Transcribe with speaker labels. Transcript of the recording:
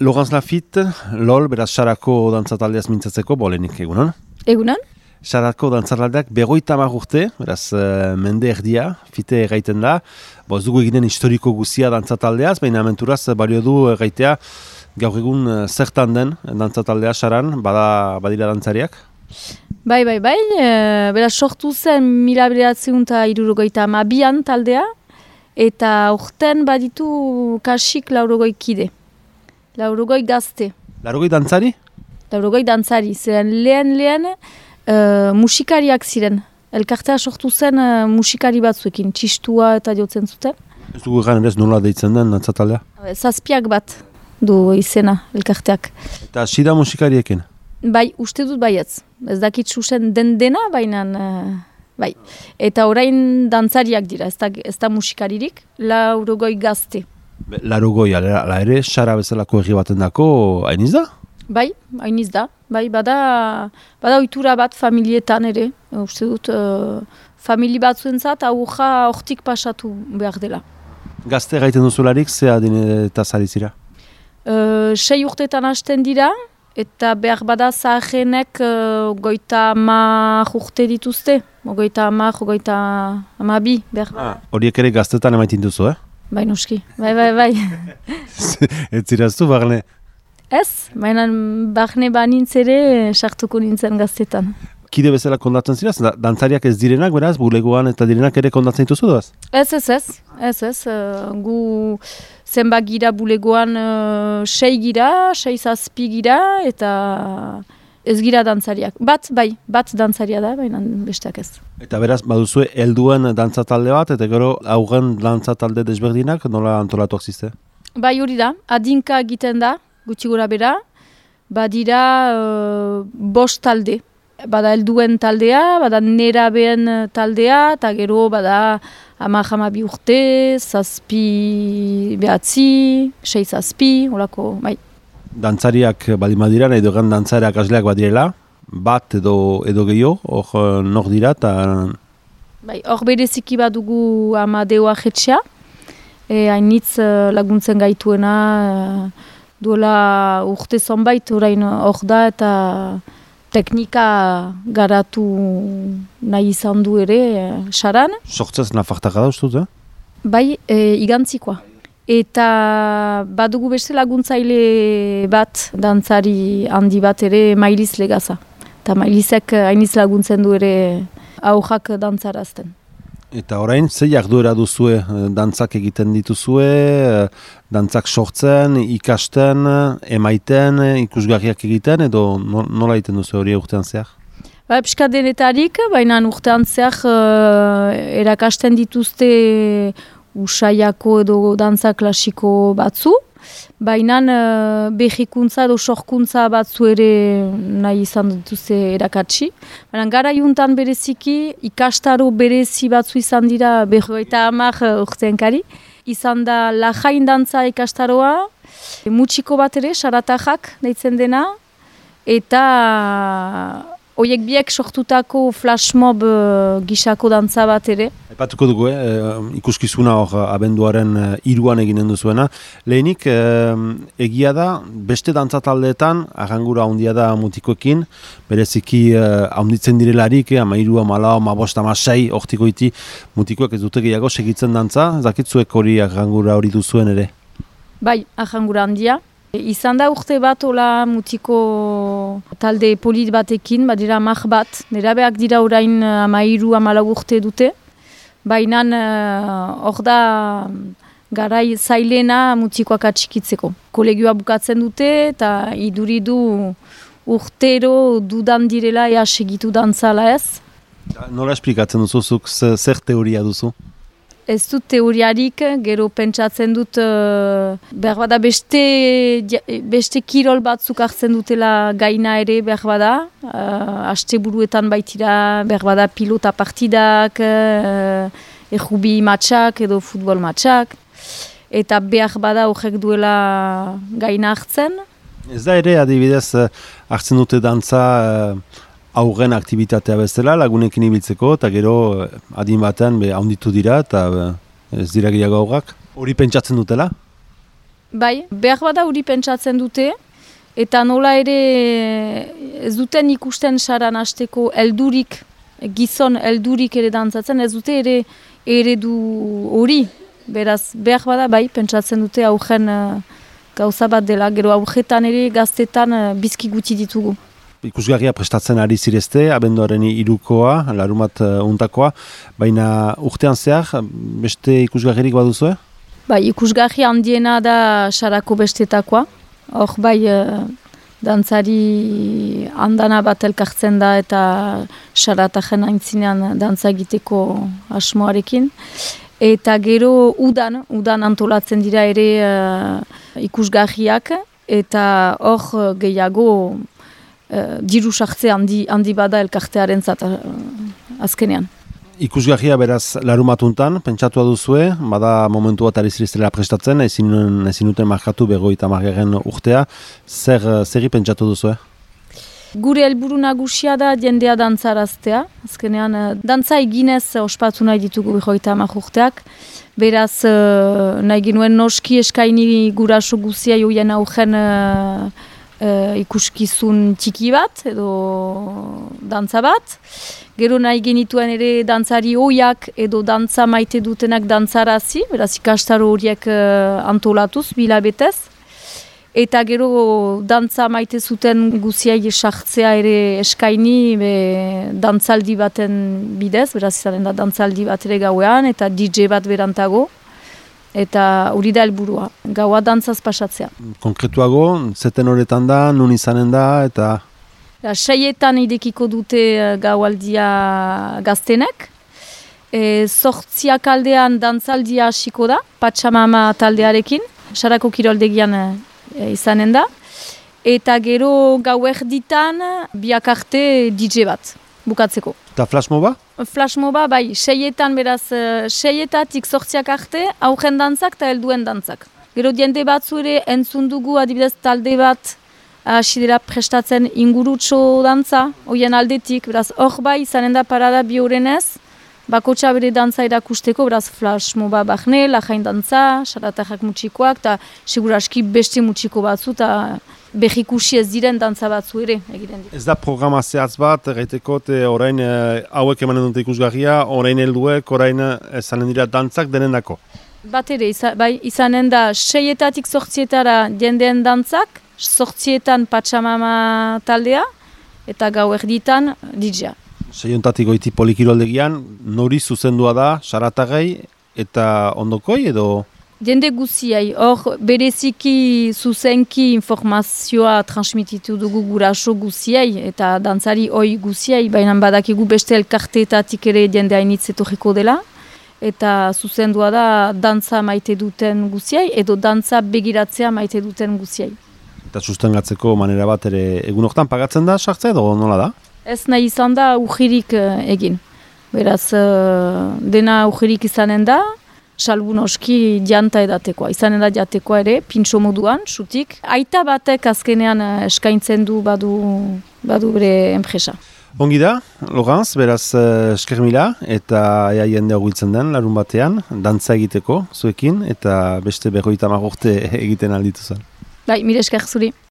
Speaker 1: Laurence Lafitte, LOL, beraz Sarako dantzataldeaz mintzatzeko, bolenik egunon?
Speaker 2: Egunon?
Speaker 1: Sarako dantzataldeak 50 urte, beraz mende erdia, fite gaiten da. Ez dugu eginen historiko guzia dantzataldeaz, baina aventuraz balio du gaitea gaur egun zertan den dantzataldea Saran, badira dantzariak?
Speaker 2: Bai, beraz sortu zen 1972an taldea, eta urten baditu kasik 80 kide. 80 gazte.
Speaker 1: 80 dantzari?
Speaker 2: 80 dantzari, ziren lehen musikariak ziren. Elkartea sortu zen musikari batzuekin, txistua eta jotzen zuten.
Speaker 1: Ez dugu egan ez nola deitzen den dantzataldea?
Speaker 2: Zazpiak bat du izena elkarteak.
Speaker 1: Eta sida musikariekin?
Speaker 2: Bai, uste dut baietz. Ez dakit zuzen dena, baina bai. Eta orain dantzariak dira, ez da musikaririk, 80 gazte.
Speaker 1: 80, ala ere, Sara bezalako herri baten dako, hainiz da?
Speaker 2: Bai, hainiz da. Bai, bada ohitura bat familietan ere. Uste dut, famili batzuentzat aurra hortik pasatu behar dela.
Speaker 1: Gazte gaiten duzularik, ze adin eta zarizira?
Speaker 2: 6 urtetan hasten dira, eta behar bada zahenek 50 urte dituzte. 52, behar bada.
Speaker 1: Horiek ere gaztetan emaitin duzu,
Speaker 2: Bai, noski. Bai.
Speaker 1: Ez ziraztu, Barne?
Speaker 2: Ez, baina Barne banintz ere sartuko nintzen gaztetan.
Speaker 1: Kide bezala kondatzen ziraz? Dantzariak ez direnak, beraz, bulegoan eta direnak ere kondatzen dituzu doaz? Ez. Gu zenbak gira bulegoan 6 gira, 6 zazpi gira, eta ez gira dantzariak. Bat dantzaria da, baina besteak ez. Eta beraz, baduzue helduen dantzatalde bat, eta gero aurren dantzatalde desberdinak, nola antolatuak ziste? Bai,
Speaker 2: hori da, adinka egiten da, gutxi gora bera, badira 5 talde. Bada helduen taldea, bada nerabeen taldea, eta gero bada 12 urte, 7 behatzi, 6 zazpi, holako, bai.
Speaker 1: Dantzariak baldin badira, nahi dugan dantzariak asleak badirela, bat edo gehiago, hor nor dira, eta...
Speaker 2: Bai, hor bereziki badugu Amadeo Ajetxea, hainitz laguntzen gaituena, duela urte zonbait, orain hor da, eta teknika garatu nahi izan du ere, Saran.
Speaker 1: Sortzez nafartaka da, ustuz,
Speaker 2: Bai, igantzikoa. Eta badugu beste laguntzaile bat, dantzari handi bat ere, Mailiz Legaza. Eta Mailizek hainiz laguntzen du ere aurrak dantzarazten.
Speaker 1: Eta orain, ze jarduera duzue, dantzak egiten dituzue, dantzak sortzen, ikasten, emaiten, ikusgarriak egiten, edo nola egiten duzu hori urtean zehar?
Speaker 2: Pixka denetarik, baina urtean zehar erakasten dituzte usaiako edo dantza klasiko batzu, baina behikuntza edo sorkuntza batzu ere nahi izan dituzte erakatsi. Baina gara juntan bereziki, ikastaro berezi batzu izan dira 50 urtenkari. Izan da lajain dantza ikastaroa, mutxiko bat ere, saratajak deitzen dena, eta horiek biek sortutako flashmob gisako dantza bat ere.
Speaker 1: Epatuko dugu, ikuskizuna hor abenduaren 3an eginen duzuena. Lehenik, egia da, beste dantzataldeetan, arrangura handia da mutikoekin, bereziki handitzen direlarik, 13, 14, 15, 16, hortikoiti mutikoek ez dute gehiago segitzen dantza, zakitzuek hori arrangura hori duzuen ere? Bai,
Speaker 2: arrangura handia. Izan da urte bat ola mutiko talde polit batekin, badira 10 bat, nerabeak dira orain 13, 14 urte dute, baina hor da garai zailena mutikoak atxikitzeko. Kolegioa bukatzen dute eta iduridu urtero dudan direla ea segitu dantzala ez.
Speaker 1: Nola esplikatzen duzuzuk, zer teoria duzu?
Speaker 2: Ez dut teoriarik, gero pentsatzen dut behar bada beste kirol batzuk hartzen dutela gaina ere behar bada. Asteburuetan baitira behar bada pilota partidak, errubi matxak edo futbol matxak. Eta behar bada horrek duela gaina hartzen.
Speaker 1: Ez da ere adibidez hartzen dute dantza aurren aktivitatea bezala lagunekin ibiltzeko, eta gero adin batean handitu dira eta ez dira gehiago aurrak. Hori pentsatzen dutela?
Speaker 2: Bai, behar bada hori pentsatzen dute, eta nola ere ez duten ikusten saran hasteko heldurik, gizon heldurik ere dantzatzen, ez dute ere eredu hori. Beraz, behar bada bai, pentsatzen dute augen gauza bat dela, gero augetan ere gaztetan bizki gutxi ditugu.
Speaker 1: Ikusgarria prestatzen ari zirezte, abenduaren 3koa, larumat untakoa, baina urtean zehar, beste ikusgarririk baduzue?
Speaker 2: Bai, ikusgarri handiena da sarako bestetakoa. Hor bai, dantzari andana bat elkartzen da eta saratajen aintzinean dantza egiteko asmoarekin. Eta gero udan antolatzen dira ere ikusgarriak, eta hor gehiago diru sartze handi bada elkartearen zat azkenean.
Speaker 1: Ikusgarria beraz larumatuntan, pentsatua duzue, bada momentu bat ari ziriztela prestatzen, ezin duten markatu 50. urtea, zerri pentsatu duzue?
Speaker 2: Gure helburu nagusia da jendea dantzaraztea, azkenean dantza eginez ospatu nahi ditugu 50 urteak, beraz nahi ginuen noski eskaini guraso guzia joien augen ikuskizun txiki bat edo dantza bat. Gero nahi genituen ere dantzari oiak edo dantza maite dutenak dantzarazi, beraz ikastaro horiek antolatuz, bilabetez. Eta gero dantza maite zuten guziai sartzea ere eskaini dantzaldi baten bidez, beraz izanen da dantzaldi bat ere gauean eta DJ bat berantago. Eta hori da helburua, gaua dantzaz pasatzea.
Speaker 1: Konkretuago, zeten horretan da, nun izanen da, eta...
Speaker 2: 6etan idekiko dute gaualdia gaztenek. 8 aldean dantzaldia hasiko da, Patxamama taldearekin, Sarako kiroldegian izanen da. Eta gero gauerditan biak arte DJ bat, bukatzeko.
Speaker 1: Eta flashmoba?
Speaker 2: Flashmoba, bai, 6etan beraz, 6etatik 8 arte, augen dantzak eta helduen dantzak. Gero jende batzu ere entzun dugu adibidez talde bat hasi dela prestatzen ingurutxo dantza, hoien aldetik, beraz, hor bai, izanen da parada bi horrenez, bakotxa bere dantza erakusteko, beraz, flashmoba bahne, lajain dantza, saratajak mutxikoak, eta seguraski beste mutxiko batzu, eta behikusi ez diren dantza batzu ere egiten dira.
Speaker 1: Ez da programa zehatz bat, gaiteko, orain hauek emanen dute ikusgarria, orain helduek, orain izanen dira dantzak denendako?
Speaker 2: Bat ere, izanen da 6etatik 8etara jendeen dantzak, 8etan Patxamama taldea, eta gauerditan DJ-a.
Speaker 1: 6 goiti polikiroldegian, nori zuzendua da, saratagei eta ondokoi edo?
Speaker 2: Jende guziai, hor bereziki zuzenki informazioa transmititu dugu guraso guziai eta dantzari oi guziai, baina badakigu beste elkarteetatik ere jende hainitz etorriko dela. Eta zuzendua da dantza maite duten guziai edo dantza begiratzea maite duten guziai.
Speaker 1: Eta sustengatzeko manera bat ere egun hortan pagatzen da sartzea edo nola da?
Speaker 2: Ez nahi izan da ujirik egin. Beraz, dena ujirik izanen da, salbu noski janta edatekoa. Izanen da jatekoa ere, pintxo moduan, xutik. Aita batek azkenean eskaintzen du badu bere enpresa.
Speaker 1: Ongi da, Lorenz, beraz esker mila eta ea jende hogiltzen den larun batean, dantza egiteko zuekin eta beste 50 urte egiten alditu zen.
Speaker 2: Bai, mire esker zuri.